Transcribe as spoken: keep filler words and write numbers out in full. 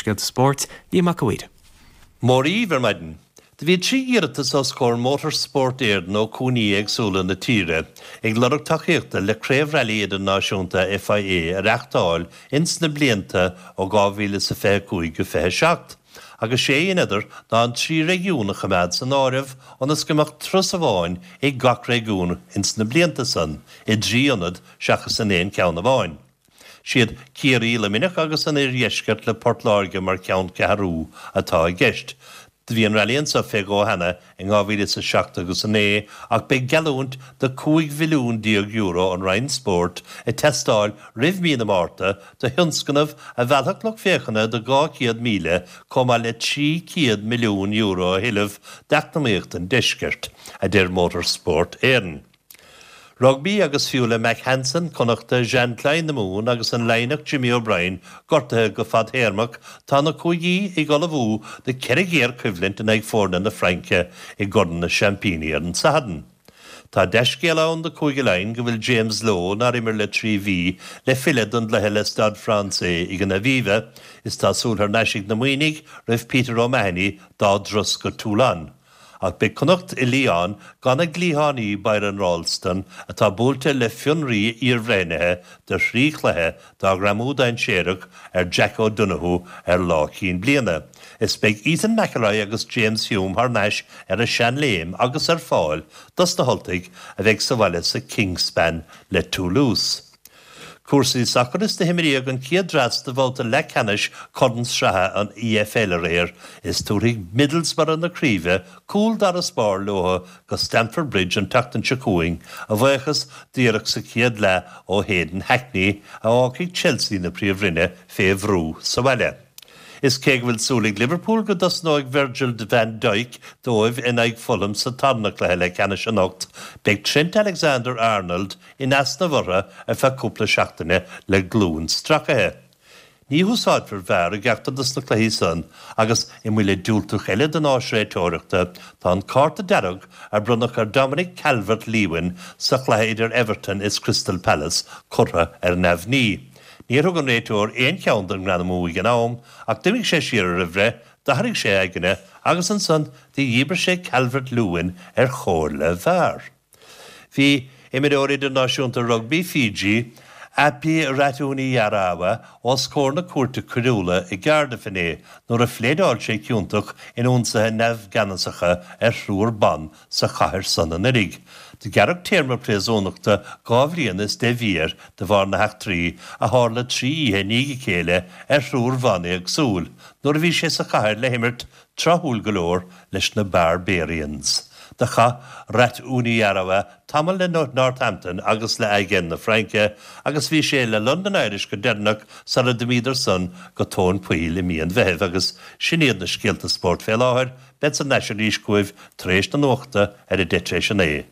scéalta spóirt, Liam Mac a' Mhaoir. Mór ar maidin. Do bhí trí iarratas os comhair Motorsport Éireann ó chúinsí éagsúla na tíre ag lorg tacaíochta le craobh railí idirnáisiúnta FIA a reáchtáil ins na blianta ó dhá mhíle sa fiche cúig go fiche seacht. Agus sé an idir ná an trí réigiún a choimeád san áireamh ionas go mbeadh turas amháin ag gach réigiún ins na blianta san i dtrí ionad seachas in aon ceann amháin. Siad Ciarraí Luimneach agus an Iardheisceart le Port Láirge mar cheanncheathrú atá i gceist. Do bhí an railí anseo fé dhó cheana in dhá mhíle sa seacht agus a naoi ach beidh geallúint de cúig mhilliún déag euro ón Roinn Spóirt ag teastáil roimh mí na Márta do thionscnamh a mheallfadh lucht féachana de dhá chéad míle chomh maith le trí chéad milliún euro a thuilleamh d'eacnamaíocht an deiscirt, a deir Motorsport Éireann. Rugbaí agus fiú le Mack Hansen, Connachta, Jean Kleyn na Mumhan agus an Laighneach Jimmy O'Brien gortaithe go fadtéarmach, tá na cúigí ag ullmhú do ceithre ghéarchoimhlint in aghaidh foirne na Fraince i gCorn na Seaimpíní ar an Satharn. Tá dea-scéal ann do Chúige Laighean go bhfuil James Lowe nár imir le trí mhí le filleadh don gcluiche le Stade Français ag an Aviva, is tá súil thar n-ais ag na Muimhnigh roimh Peter O'Mahony dá dturas go Toulon. Ach beidh Connacht i Lyon gan a gcliathánaí Byron Ralston atá buailte le fionraí iarbhreithnithe de thrí chluiche dá ghreamú dainséarach ar Jack O'Donoghue ar lá cinn bliana. Is beidh Ethan McElroy agus James Hume thar n-ais ar a seanléim agus ar fáil dos na hUltaigh a bheidh sa bhaile sa Kingspan le Toulouse. Cúrsaí sacair is do himríodh an chéad dreas de bhabhta leathcheannais Chorn Sraithe an EFL aréir is tabharfaidh Middlesbrough na craoibhe cúl d'fharasbarr leo go Stamford Bridge an tseachtain seo chugainn a bhuíochas d'iarracht sa chéad leath ó Hayden Hackney a fhágfaidh Chelsea na príomhroinne fé bhrú sa bhaile. Is cé go bhfuil súil ag Liverpool go dtosnóidh Virgil van Dijk dóibh in aghaidh Fulham sa tarna cluiche leathcheannais anocht, beidh Trent Alexander-Arnold in easnamh orthu ar feadh cúpla seachtaine le glúin stracaithe. Ní húsáidfear VAR i gceachtar dos na cluichí san agus i mbuille diúltach eile don áis réiteoireachta tá an cárta dearg a bronnadh ar Dominic Calvert-Lewin sa chluiche idir Everton is Crystal Palace curtha ar neamhní. Níor thug an réiteoir aon cheann den ngreamú ag an am ach d'imigh sé siar ar a bhreith, d'athraigh sé a aigne agus ansan do dhíbir sé Calvert-Lewin ar chomhairle VAR. Bhí imreoir idirnáisiúnta rugbaí Fiji, Api Ratuniyarawa os comhair na cúirte coiriúla i gCardiff inné nuair a phléadáil sé ciontach in ionsaithe neamhgheanasacha ar thriúr ban sa chathair san anuraidh. Do gearradh téarma príosúnachta dhá bhliain is deich mhí air de bharr na heachtraí a tharla trí oíche i ndiaidh a chéile ar thriúr ban éagsúil nuair a bhí sé sa chathair le himirt tráthúil go leor leis na Barbarians. Do chaith Ratuniyarawa tamall le Northampton agus le Agen na Fraince agus bhí sé le London Irish go deireanach sara d'imíodar san go tóin poill i mí an Mheithimh agus sin iad na scéalta spóirt fé láthair, bead san ais arís chugaibh tar éis na nuachta ar a deich tar éis a naoi.